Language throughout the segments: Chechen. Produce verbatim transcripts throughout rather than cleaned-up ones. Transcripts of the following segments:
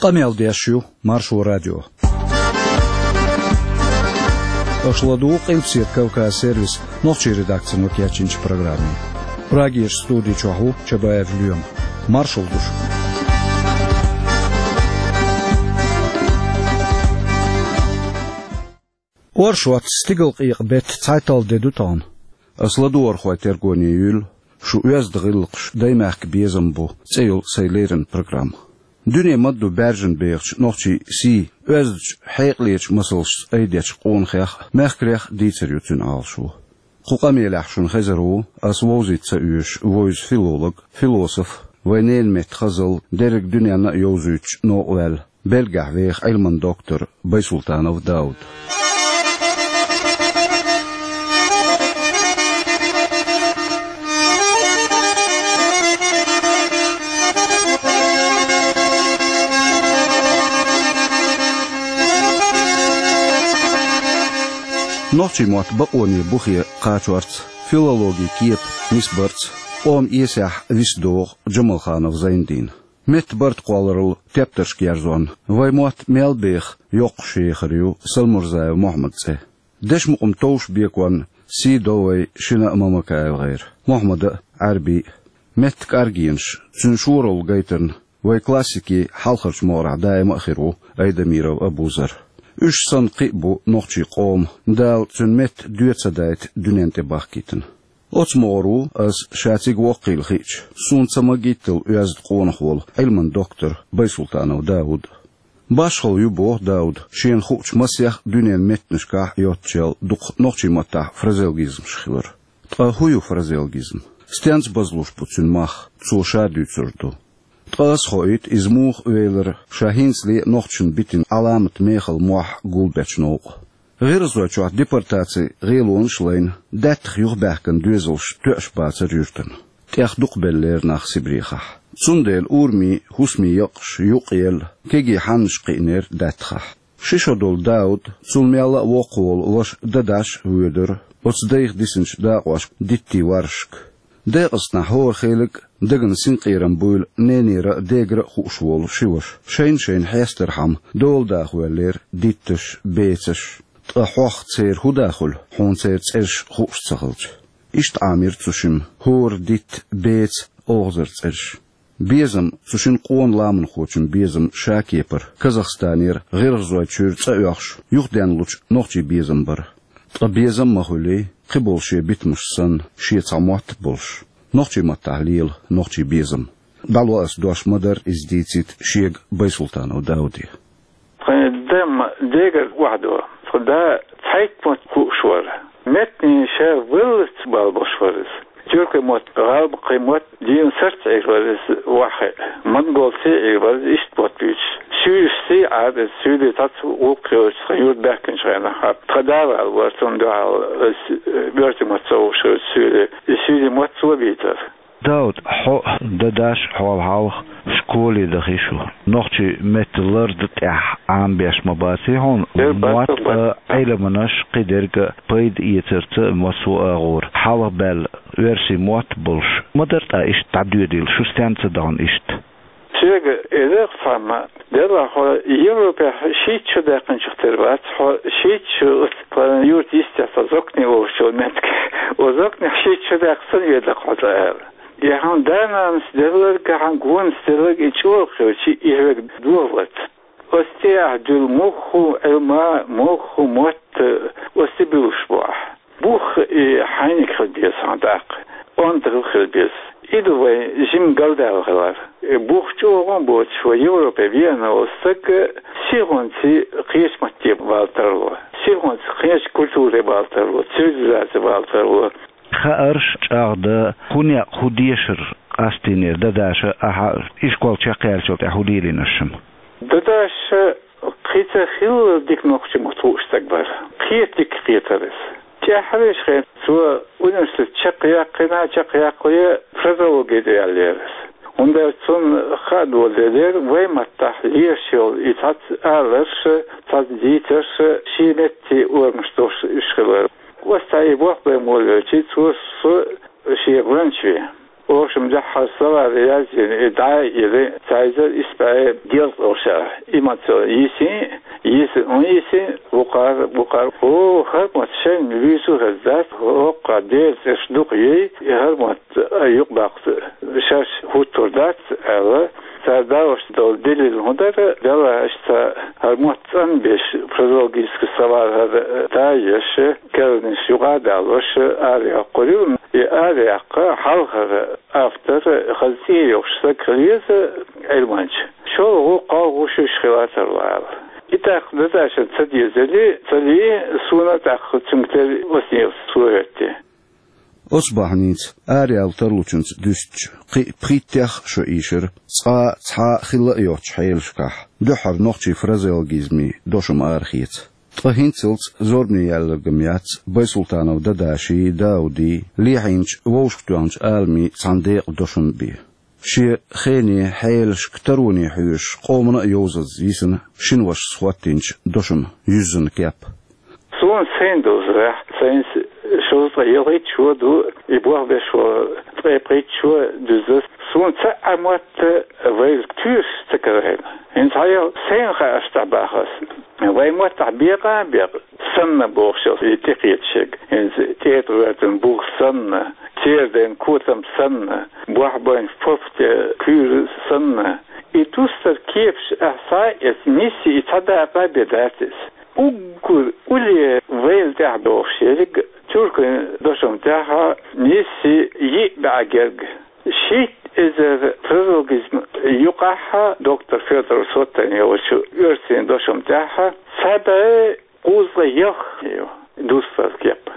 Къамел деш ю Маршо радио. Аша ладугӀу Къилбаседа Кавказ сервисан нохчийн редакцино кечйинчу программе. Прагерчу студи чохь ву Чабаев Лоьма. Маршалла ду шуьга. Оршот, стигалкъекъа беттан цхьайтталгӀа де ду тахана. Аса ладогӀархойн тергоне юьллу «Шун оьзда гӀиллакхаш, даймехкан безам бу» цӀе йолу сайн леррина программа. Дуьне ма-дду баьржина бехачу нохчийн сий оьздачу, хьекъалечу масалшца айдечу къонахех а, мехкарех а дийцар ю цуьнан Ӏалашо. Кху къамелехь шуна хезар ву, аса вовзийта ца оьшуш, вевза филолог, философ, вайн ненан меттан хазалла дерриг дуьненна а йовзуьйтуш новкъа ваьлла, Бельгехь веха Ӏилман доктор Байсултанов Дауд. Нохчийн мотт бакъоне бухе кхачорца, филологин кепа нисбарца, къоман эсехь виса догӀу Джамалханов Зайндин. Меттан барт кхолларал тептарш герзонна, вайн мотт мел беха йоккхуш ехар ю Салмурзаев Мохьмадан цӀе. Дешан мукъам товш беконна сий до вай шина а МамакаевгӀеран, Мохьмадан а, Ӏаьрбийн а. Меттан кӀоргенаш, цуьнан шоралла гайтарна вайн классикийн хьалхарчу могӀарехь даима а хир ву Айдамиров Абузар. Уьш санна кхин а бу нохчийн къоман, Дала цуьнан меттан доь ца дайта дуьнен тӀе бахкийтина. Оцу могӀаро ву аса ша цига воккхийла хиъча, суна ца магийтталла оьзда къонах волу Ӏилман доктор Байсултанов Дауд. Башхалла ю, боху Дауда, шена хуучу масех дуьненан меттанашкахь йоццушъелла дукха нохчийн маттахь фразеологизмаш хилар. Ткъа хӀун ю фразеологизм? Стенца базлуш бу цуьнан мах? Цо ша дуьйцур ду. Ткъа аса хоуьйту, иза муха велира ша хӀинцале а нохчашна битина Ӏаламат мехала мохь гулбечу новкъа. ГӀиргӀазойчохь депортацин гӀелонаш а лайна, даьттах юхабаьхкина доьзалш тоьаш бацара юьртана. ТӀех дукхабеллера нах Сибрехахь. Цундела урамийн, хӀусамийн якъаш юкъаелла, кегий хьаннаш кхиънера даьттахахь. Ши шо долу Дауд, цул мелла а воккха волу ваша Дадаш а воьдура оцу дайх дисинчу дакъошка диттийн варшашка. Декъастанахь хӀора хелиг а дагна синкъерам буйла ненера а, дегара а хууш волу ши ваша, шайна-шайна хьестархьама дола даха воьллера дитташ, бецаш. Ткъа хьох церан хӀун да хуьлу, хьуна церан цӀераш хууш ца хилча? Иштта Ӏамийра цу шимма хӀора дитта, беца, оьгӀазара цӀераш. Безам, цу шина къона ламанхочун безам ша кепара Казахстанера ГӀиргӀазойчуьра цӀа оьхуш, юхаденлучу нохчийн безам бара. Ткъа безам а ма хуьлий, кхиболу шен битамаш санна, шен цхьа мотт а болуш, нохчийн маттахь лела нохчийн безам. ДӀало аса дош ма-дарра, иза дийцийта шега Байсултанов Дауде. Тхан дам дегара охьадо. Тхан да цхьайтта мотт хууш вара. Меттанийн ша валлалц бала болуш вара иза. Тюркийн мотт, гӀалбакхийн мотт дийна сарц Ӏийр вара иза ваххе. Монголций Ӏийр вара иза иштта мотт буьйцуш. Суьйрашций Ӏара иза, суьйре цхьацца гӀуллакх йолчу тхан юрт баьхкинчу хенахь. Тхан да вала вара, цунна дуьхьал иза, э, боьртийн мотт ца хууш хилча суьйре. И суьйрийн мотт цо бийцара. Дауд, хьо а, Дадаш а хьол хьалха школе дахи шу. Нохчийн меттан лардан тӀехь Ӏамабеш ма баций хьуна? Дера бац, мотт а, бац. Ӏилманаш а, кхидерг а пайда эцарца массо а агӀора хьалхабаьлла оьрсийн мотт а болуш, ма-дарра тӀаккха иштта дӀадоьдийла, шу стенна ца дахана иштта? Соьга элира цхьамма, делахь хьо Европехь шийтта шо даьккхинчух тера вац, хьо шийтта шо оцу тхан юрта йистехь цхьа Зокни олучу меттиг. Оцу Зокнехь шийтта шо даьккхина санна ведар хьо цкъа аьлла. И хьан да-нанас делларг а, хьан гонас делларг а и чӀогӀа хилча, и хьоьга догӀа вац. Оцу тӀехь дуьллу муьлхха а Ӏилма, муьлхха а мотт оцу тӀе буьллуш бу ахь. Бух и хьайниг хила беза хьан тӀаккха, онда хила беза. И ду вайн жимма галдаьлла хилар. Бух чӀогӀа а боцуш, вай Европе веана волу стаг сихонца кхечу матте бала тарло, сихонца кхечу культуре бала тарло, цивилизаце бала тарло. Хаарш чӀагӀдан, хӀун некъ, хӀун дешар къастийнера Дадаша, ахьа ишкол чекхъяьллачул тӀаьхьа хӀун лелийна шуна? Дадаша кхин ца хилла дика нохчийн мотт хууш стаг бара. Кхета дика кхетара иза. ТӀаьххьарчу хенахь цо университет чекхъяьккхина, чекхъяккхале фразеологи тӀе яьллера иза. ХӀунда аьлча цунна хаа доладелира вайн маттахь лелаш йолу и цхьацца аларш, цхьацца дийцарш, шен меттан орамаш долуш уьш хилар. Оцу тӀехь и болх бен волавелча, цо со шен гӀоьнча веана. Ошам дехьа словарь язйина, и дӀа а йиллина, цхьа эзар исс бӀе ялх долча шера. И ма ца йисин, йиса, ун йисин, вукхар, вукхар. О, хӀара мотт шоайла вуьйцур хезна дац, хӀокху дера цӀераш дукха ю, и хӀара мотт юкъабаккха шаьш хӀуттур дац, аьлла. Цара далош долу дилла хӀун дара, делахь аша цхьа хӀара мотт цӀанбеш, фразеологический словарь хӀара дӀа а еш, керланаш юкъа а далош, арайоккхур ю. И арайоккху хьалхара автор, хаза цӀе йолуш стаг хила еза Ӏилманча. ШолгӀа, кхоалгӀа шуьйш хила тарло аьлла. И тӀаккха даза аша ца дезали, ца лии, суна тӀаккха цуьнга тера осанелц цо хӀоьттина. Оцу бахьаница араяла тарлучуьнца дуьстича, кхин а пхийттех шо ийшира, цкъа цхьа а хилла а йоцучу хьелашкахь, дуьххьара нохчийн фразеологизмийн дошам арахеца. Ткъа хӀинццалц зорбане яьлларг-м яц Байсултанов Дадаший, Даудий, лехьийначу вовшахтоьхначу Ӏаламийн цхьана декъан дошам бен. Шен хене, хьелашка, тароне хьоьжуш, къомана а йовзаза йисина шина вашас хӀоттийначу дошаман юьззина кеп. Суна сайна дузарехь, сайна шовзткъе ялхитта шо ду, и болх беш волу ткъе пхийтта шо дуьзна. Суна цхьа а мотт вайла туьйсуш ца карийна. ХӀинца хьайолу сайна хаа аш тӀехь бахас. Вайн маттахь бекъа а бекъа, санна бохуш йолу и тӀекхеташерг. ХӀинца тӀетӀа гӀоьртина бух санна, церан дайн котам санна, бохь байн фофте куьйра санна. И дустар кепаш ахьа схьа а эцна, нисси и цхьа дакъа а бен дац иза. Уггар улле вайла тӀехь бохуш ерриг тюркийн дошам тӀехь нисси йиъ бӀе герга. Шийтта эзар фразеологизм юкъахь доктор Федоров Сотан йолчу оьрсийн дошам тӀехь цхьа бӀе кхузткъе ялх ю дустар кеп.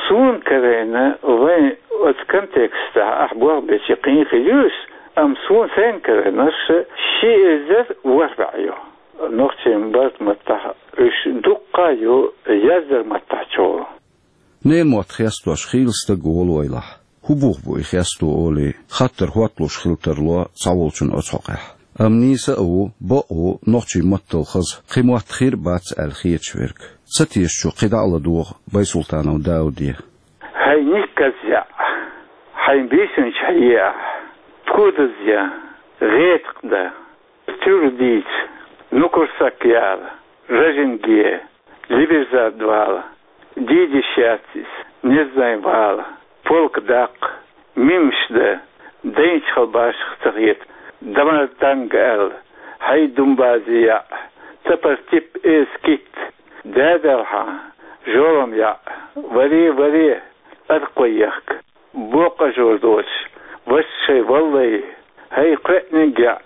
Суна карийна, вайн оцу контекстехь ахь болх бечи кхин хир ю иза, амма суна сайна карийнарш ши эзар ворхӀ бӀе ю. Нохчийн барта маттахь уьш дуккха а ю яздаран маттахь чӀогӀа. Ненан мотт хестош хийла стаг волавелахь, хӀун бух бу и хесто олий, хаттар хӀотталуш хила тарло цхьаволчунна оцу хьокъехь. Амма нийса а ву, бакъ а ву нохчийн маттал хаза, кхин мотт хир а бац аьлла хеташ верг. Ца тешачу кхин дӀа а ладогӀа Байсултанов Дауде. Хьайн никказ яӀ, хьайн бийсинчу хьеа, пхудаз я, гӀетакъ дан, туьра дийца, нукурсак яла, ражинге, либерзад вала, дийдиш яц иза, незнай вала, полка даккха, мимаш дан, дайначу хала башах ца хета, дамар танга аьлла, хьай думбази яӀ, тапар тип эз китта, да белхьа, жолам яӀ, варе, варе, аркхо ехка. Боккъажор доцуш, ваша шай валлай, хӀай кхоьъниг яӀ,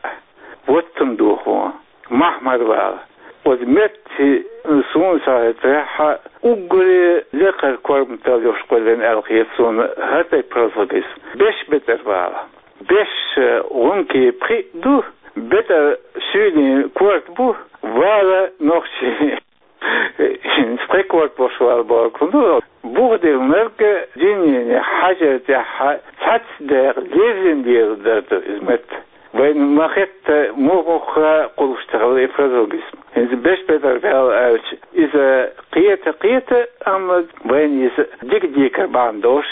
воттам духо, махьмар вала. Оцу метте суна схьахетарехь, уггаре лекхара корматалла йолуш кхоьллина аьлла хета суна хӀара тайпа фразеологизм. Беш бетӀар вала. Беш гӀунки пхиъ ду, бетӀар суьйлийн корта бу, вала нохчий. ХӀинца кхин корта болуш вала бохург хӀун ду? Бух диллинарг дийнна хьажар тӀехь цхьацца декъа леррина лело дара ду иза метта. Вайна ма-хетта муха-муха кхуллуш ца хилла и фразеологизм. ХӀинца беш бетӀар вала аьлча, иза кхета, кхета, амма вайна иза дика-дика бахьана долуш,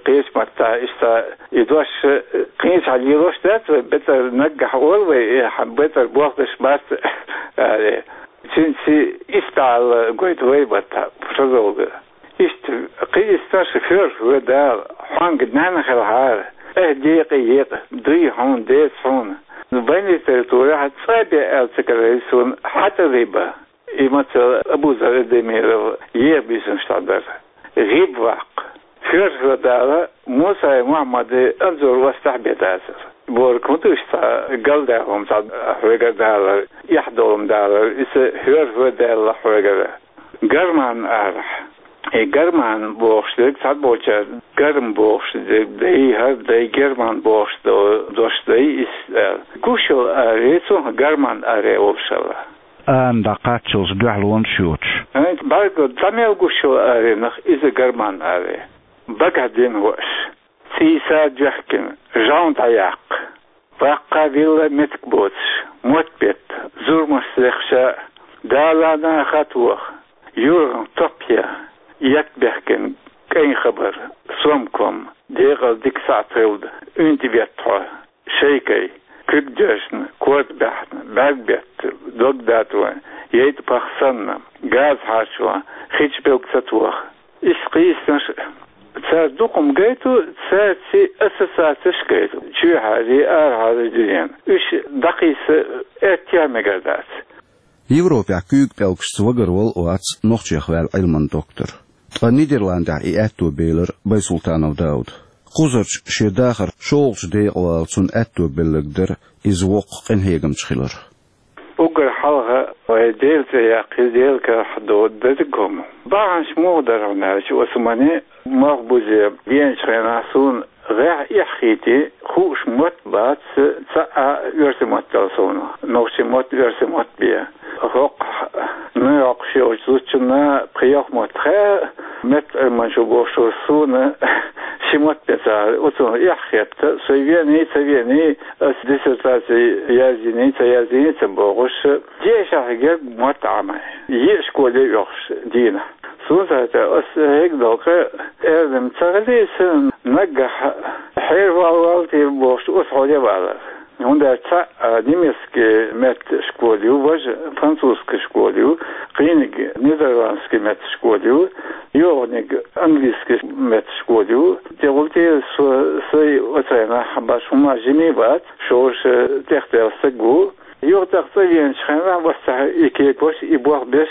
кхечу маттахь иштта и дош кхечахьа лелош дац вай, бетӀар наггахь олу вай, и хьан бетӀар болх беш бац аьлла. Цуьнца истагӀалла гойту вай баттахь фразеолога. Иштта кхин истанаш: «Хьоьрху ван Дала, хьоьга нана хилахьара, ахь декъе екъа, дуй хьуна, деца хьуна». Вайн литературехь цӀа бен аьлла ца карийра суна хьатӀалиба. И мацал Абузар Эдемиров еха бийсанаш тӀехь дара. ГӀиб ваккха. Хьоьрху ван Дала, Мусай Мухьаммади Анзор вастахь бен дацара. Бохург хӀун ду, иштта галдаьлла хӀума цхьа хьоьгара далар, эхь долу хӀума далар, иза хьоьрху ван Дала хьоьгара. Гарман арахь. И гарман бохуш дерг цхьаболчара гарм бохуш дерг дай, хӀара дай, герман бохуш до-, дош дай иза аьлла. Гуш йолу аре, цунах гарман аре олуш хилла. Ана дӀакхаччалц дуьхьалонаш йоцуш. ХӀинца бӀаьрго дӀа мел гуш йолу аренах иза гарман аре. Багахь дина хӀорш. ЦӀийса доьхкина, жамӀ дӀаяккха. Ваккха вилла меттиг боцуш, мотт бетта, зурмаш лехша, далана хатоха, юргӀан топ я, етт бехкина кӀайн хабар, сомком, декъал дика сахьт хилда, Уьнта бетта хьо, шайкай, куьг доьжна, корта баьхна, бӀаьрг бетта, дог датӀа, яйтӀа пах санна, газа хьарчо, хи чу билг ца тоха. Иштта кхийсинарш, цара дукха-м гайту, цаьрца ассоциацеш гайту, чоьхьарий, арахьарий дуьненан. Уьш дӀакхийса аьттехьа мегар дац. Европехь куьйга пӀелгашца вагарвала а вац нохчех ваьлла Ӏилман доктор. Ткъа Нидерландехь и аьтто белира Байсултанов Дауда. Кхузарчу шен дахар шолгӀачу декъала цунна аьтто белларг дара иза воккха къинхьегамча хилар. Уггар хьалха вай Делан цӀе яккхий, Делан карахь дола дерриг а хӀума. Бахьанаш муха дара хьуна аьлча, оцу мане мах бузе деначу хенахь суна гӀехь эхь хийтий, хууш мотт бац, цхьа а оьрсийн мотт дала суна. Нохчийн мотт, оьрсийн мотт бен. ХӀокху Нью-Йоркехь йолчу зудчунна пхи-ялх мотт хаьа, меттан Ӏилманчо бохуш вара суна ши мотт бен цара. Оцунах эхь хетта, со вений, ца вений, ас диссертаци яздиний, ца яздиний ца бохуш, дешахь герга мотт Ӏамай. Йиъ школе оьхуш дийнахь. Суна цара ас хьегна долу къа эрна ца хилийса, наггахь хьервалвал те бохуш, оцу хьоле валар. ХӀунда аьлча цхьаъ немецкий меттан школа ю, важа французский школа ю, кхийниг нидерландский меттан школа ю, йогӀаниг английский меттан школа ю. ТӀехула те со, сай оцу хенахь баш хӀума жима бац, шорша тӀехдаьлла стаг ву. Юха тӀаккха цӀа веначу хенахь, вац цхьа и кепаш, и болх беш,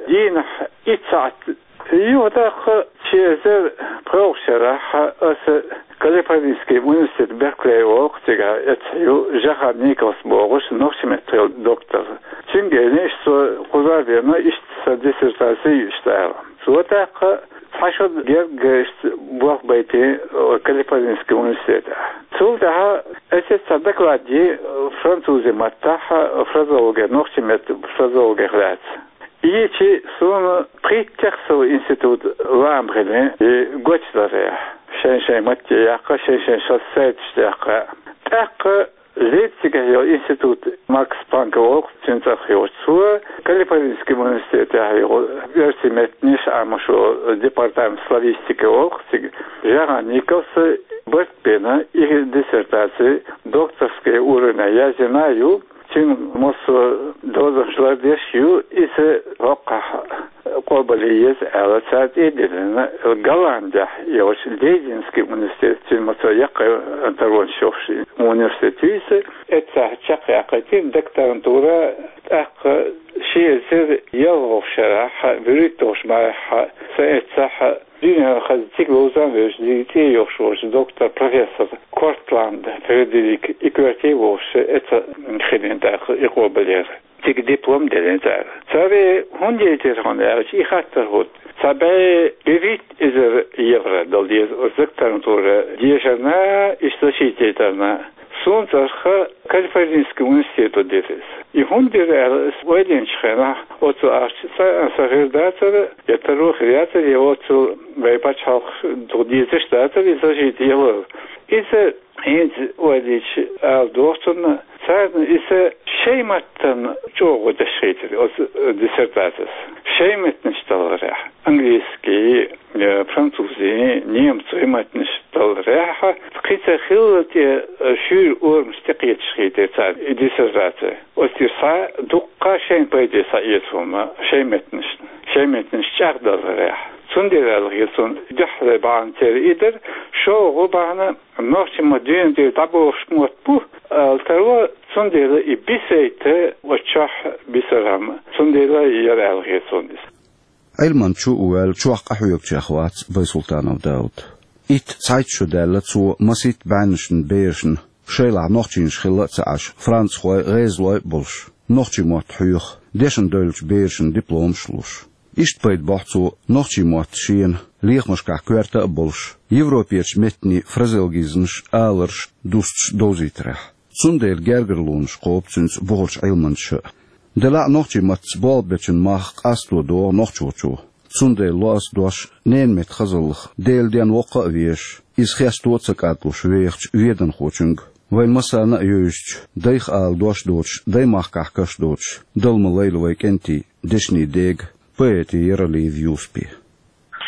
дийнахь итт сахьт. Юха тӀаккха ши эзар пхоьалгӀачу шарахь аса Калифорнийский университет Беркли олу-кх цигахь, эцхьа ю Жахан Николс бохуш, нохчийн меттан доктор. Цуьнга элира, иштта со кхузара деана, иштта сан диссертаци ю иштта ала. Цо тӀаккха цхьа шо герга иштта болх байтина Калифорнийский университетехь. Цул тӀаьхьа аса цхьа доклад йи французийн маттахь фразеологи, нохчийн меттан фразеологех лаьцна. Йичи суна пхийттех сов институт лаам хилла и гочдарехь. Шайн-шайн матте яккха, шайн-шайн шо сайташ яккха. ТӀаккха Лейпцигехь йолу институт Макс Планка олу-кх, цуьнан цӀарах йолчу, цо Калифорнийский университетехь йолу оьрсийн меттанаш Ӏамош йолу департамент славистики олу-кх цига. Жахан Николса барт бина и диссертаци докторский уровне яздина ю, цуьнан массо а дозанаш лардеш ю, иза хӀокхахь къобалъе еза аьлла, цара тӀе а диллина, Голландехь йолчу Лейденский университет, цуьнан массо а яккхий таронаш йолуш университет ю иза, эццахь чекхъяккхийтина докторантура, тӀаккха ши эзар ялхалгӀачу шарахь, вуьрхӀитталгӀачу майхь, сан эццахь дуьненахь хаза цига ловза а вевзаш, дика цӀе йолуш волчу доктор, профессор Кортланд Фредерик и коьрте а волуш, эццахь хилина тӀаккха и къобалъяр. Цига диплом делира цара. Цара хӀунда яйтира хьуна аьлча, и хаттар хӀутту. Цхьа бӀе вуьрхӀитта эзар евро дала деза оцу докторантура дешарна, иштта защититарна. Суна цӀарах Калифорнийский университето дира иза. И хӀунда дира аьлла, аса ойла йинчу хенахь, оццул ахча цкъа а сан хир дацара, я таро хир яцара, я оццул вайн пачхьалкхе дукха дезаш дацара и защита ялар. Иза хӀинца ойла йича ала догӀу суна, царна иза шайн маттана чӀогӀа деш хийтира оцу диссертацис. Шайн меттанаш талларехь, английский, э, французийн, немцойн маттанаш талларехь, кхин ца хилла тӀе, э, шуьйра орамаш тӀекхеташ хийтира царна и диссертаци. Оцу тӀера схьа дуккха шайна пайде схьаэца хӀума, шайн меттанашна, шайн меттанаш чӀагӀдаларехь. Цундела аьлла хета суна дуьххьара бахьана церан и дара, шолгӀа бахьана нохчийн мотт дуьнен тӀера дӀабохуш мотт бу, ала таро, цундела и бисийта оцу чохь бисархьама, цундела яра аьлла хета суна иза. Ӏилманча а ваьлла, чохь къахьоьгучех вац Байсултанов Дауд. Итт цхьайтта шо даьлла цо масийтта бӀеннашна, берашна, шайлахь нохчийнаш хилла а ца Ӏаш, францхой, гӀезалой а болуш, нохчийн мотт хьоьху, дешна девллачу берашна дипломаш а луш. Иштта пайда бохьу цо нохчийн мотт шена лехамашкахь коьрта а болуш, европерчу меттанийн фразеологизмаш, аларш, дусташ довзийтарехь. Цундела гергарлонаш кхобу цуьнца бухарчу Ӏилманчаша а. Делахь а нохчийн маттаца болх бечун мах къасто догӀу нохчочо. Цундела ло ас дош ненан меттан хазаллах, Делан денна воккха а везаш, иза хесто а ца кӀадлуш вехачу веданхочуьнга, вайн массарна а евзачу, дайх ала дош доцуш, даймахкахь каш доцуш, Дала ма лайла вайн кӀентий, дешнийн дега, поэте Яралиев Юсупе.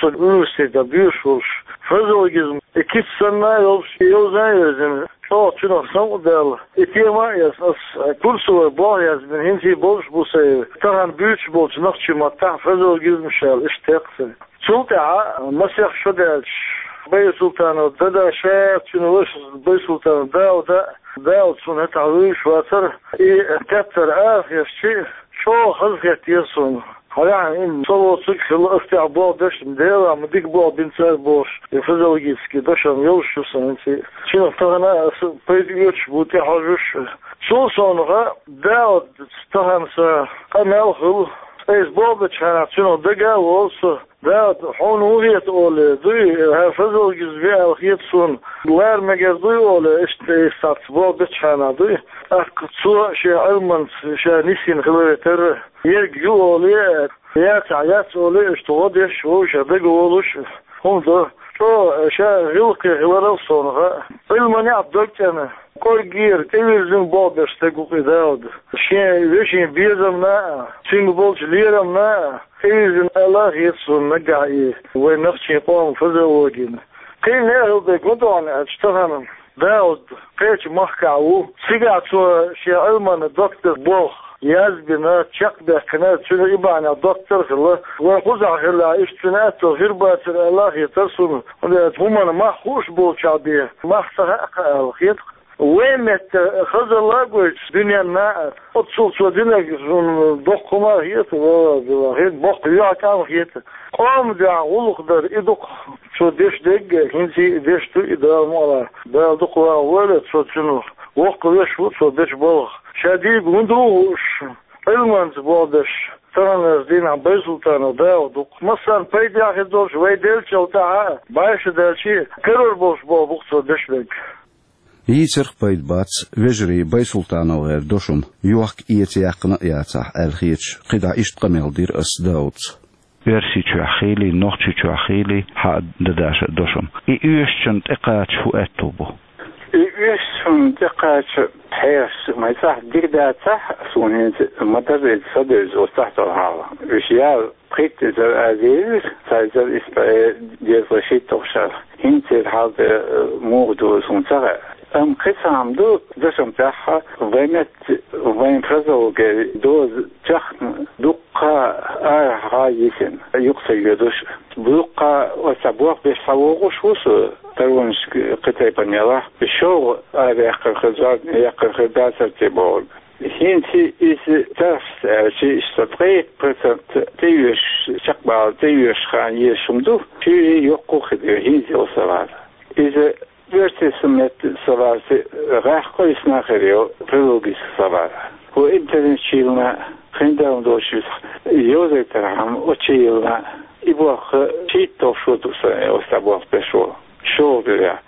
Со университетехь доьшуш волуш, фразеологизм И кица санна йолуш, и йовза а йоьзна, чӀогӀа цуьнах самукъадаьлла. И тема а эцна, ас курсовой болх язбина, хӀинца а болуш бу сайн тахан буьйцуш болчу нохчийн маттахь фразеологизмаш аьлла, иштта текхна сайн. Цул тӀаьхьа масех шо даьлча, Байсултанов Дада ша, цуьнан вашас Байсултанов Дауда, Дауда суна хӀетахь вуьйш вацара, и тептар арахецча, чӀогӀа хазахетара суна. Хьалаьхьа, и со воцург хилла, ас тӀехь болх беш, Дела ма дика болх бина цара бохуш, и фразеологический дошам йолуш ю сан хӀинца а. Цуьнах тахана аса пайда оьцуш бу тӀехьожуш. Цул совнаха, Дауда тахана сан къамел хуьлу. Айса болх бечу хенахь цуьнах дага а волу со. Дауда, хьуна хӀун хета олий, дуй, хьан фразеологизм веана хета суна, лара мегар дуй олий, иштта айса цхьацца болх бечу хенахь дуй. ТӀаккха цо шен Ӏилманца ша нисйина хиларе терра, ерг ю олий, яцахь яц олий, иштта гӀо деш, вовшех дага волуш, хӀума до. ЧӀогӀа ша гӀиллакхе хиларал совнаха, Ӏилманехь дог цӀена, кӀорггера, тӀевирзина болх беш стаг ву-кх и Дауда. Шен вешин безамна а, цуьнга болчу лерамна а, тӀевирзина аьлла а хета суна наггахь и вайн нохчийн къоман фразеологина. Кхин а хила дерг хӀун ду хьуна аьлча, тахана Дауда кхечу махкахь ву. Цигахь цо шен Ӏилманан доктор болх язбина, чекхбаьккхина, цуьнан и бахьанехь доктор а хилла. Вайн кхузахь хиллехь, иштта цуьнан аьтто хир бацара аьлла а хетара суна, хӀунда аьлча хӀуманан мах хууш болчохь бен мах ца хаьа-кх аьлла хета-кх. Вайн метта хазалла а гойтуш дуьненна а, оццул цо динарг суна доккха хӀума а хета, валлахӀи, хета, боккха юьхькӀам а хета. Къоман дуьхьа гӀуллакх дар и ду-кх цо деш дерг а, хӀинца а деш ду и, Дала мукъ лахь. Дала дукха вахавойла цо цуьнан. Воккха веш ву цо бечу балха. Ша дийриг хӀун ду хууш, Ӏилманца болх беш, таханлерчу дийнахь Байсултанов Дауда ву-кх. Массарна пайдехь хир долуш вай деллачул тӀаьхьа а, бӀаьрша даьлча а, карор болуш болх бу-кх цо беш берг. Йийцарх пайда бац, вежарий БайсултановгӀеран дошам йохка-эца яьккхина а яцахь аьлла хеташ, кхидӀа иштта къамел дира ас Даудца. Оьрсийчохь хийлий, Нохчийчохь хийлий, хьан а Дадаша а дошам. И оьшучунна тӀекхача хӀун аьтту бу? И оьшучунна тӀекхача хьехаш ма цӀахь дика дацахь, суна хӀинца ма-дарра иза са девза оцу тӀехь долу хьал. Уьш ял пхийтта эзар а девза, цхьа эзар исс бӀе дезткъе шийтталгӀа шарахь. ХӀинца церан хьал тӀе муха ду суна ца хаьа. Амма кхин цхьа хӀума ду, дашам тӀехь вайн метта, вайн фразеологин доза чекхна дуккха арахьа йисина, юкъа ца йоьдуш. Дуккха оцу болх беш схьавогӀуш ву со, таронашка кхин тайпана ялахь, шолгӀа араяьккхина хир, зорбане яьккхина хир дацара те бохург. ХӀинца иза тархьаста аьлча, иштта ткъе итт процент тӀеоьшуш, чекхбала тӀеоьшуш хан езаш хӀума ду, шуьйра йоккха хир ю, хӀинца йолу са вара. Иза оьрсийн метта са варца гӀеххьа къуьйсина хир ю фразеологически са вара. ХӀун интернетчу йиллина, хиндалла долуш иза йовзийтархьама, оцу чу йиллина, и болх шийтталгӀа шо ду сан, оцу тӀехь болх беш волу. ШолгӀа дуьрехь.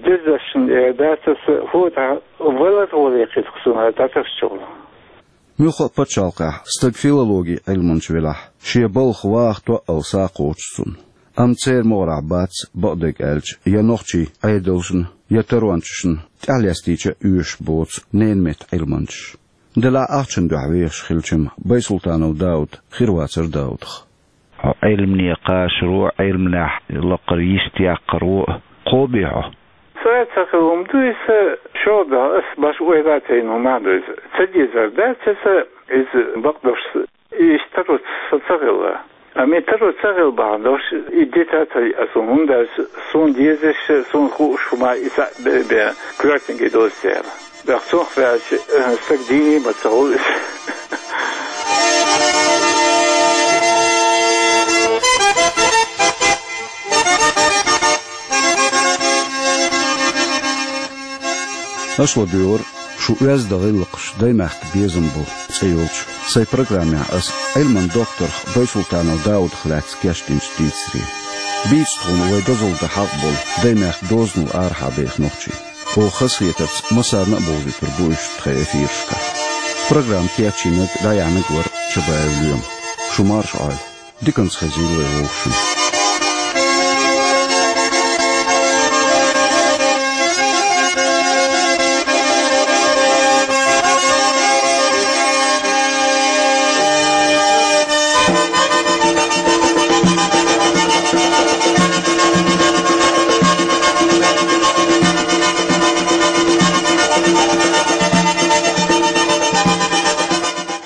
Дезачунна эр дац аса, хӀун тӀаккха валар а валий кхин суна дӀатарча чухула. Муьлхха а пачхьалкхехь стаг филологин Ӏилманча велахь, шен балха ваха тоъал са кхочуш цунна. Амма церан могӀарехь бац, бакъдерг аьлча, я нохчийн Ӏедалшна, я тарончашна тӀаьхьалестийча а оьшуш боцу ненан меттан Ӏилманчаш. Делахь ахчанан дуьхьа вехаш хилча-м, Байсултанов Дауда хир вацара Даудах. Хьо Ӏилмане кхачаро а, Ӏилманехь лакхара йист яккхаро а кхобий хьо? Ца, ца хилла хӀума ду иза, шолгӀа дуьхьа ас башха ойла а ца йина хӀума а ду иза. Ца дезар дац аса, иза бакъдолуш, иштта таро ца, ца хилла. Амма и таро ца хилла бахьана долуш, и дита ца йиъна суна, хӀунда аьлча суна дезаш, суна хууш хӀума и цхьаъ бен, бен коьртаниг доза церан. ТӀаккха цунах ваьлча, э, стаг дийне а ма ца хуьлу иза. Аш ладуьйгӀура шу «Оьзда гӀиллакхаш: Даймехкан безам бу» цӀе йолчу сайн программехь ас Ӏилманан докторах Байсултанов Даудах лаьцна кечдинчу дийцаре. Бийца тхуна вай дозалла дан хьакъ болу Даймехкан дозанал арахьа беха нохчий. Оха хазахетарца массарна а бовзуьйтур бу уьш тхайн эфирашкахь. Программа кечйинарг, дӀаяьхьнарг вара Чабаев Лоьма. Шу марша Ӏойла. Диканца хезийла вай вовшашна.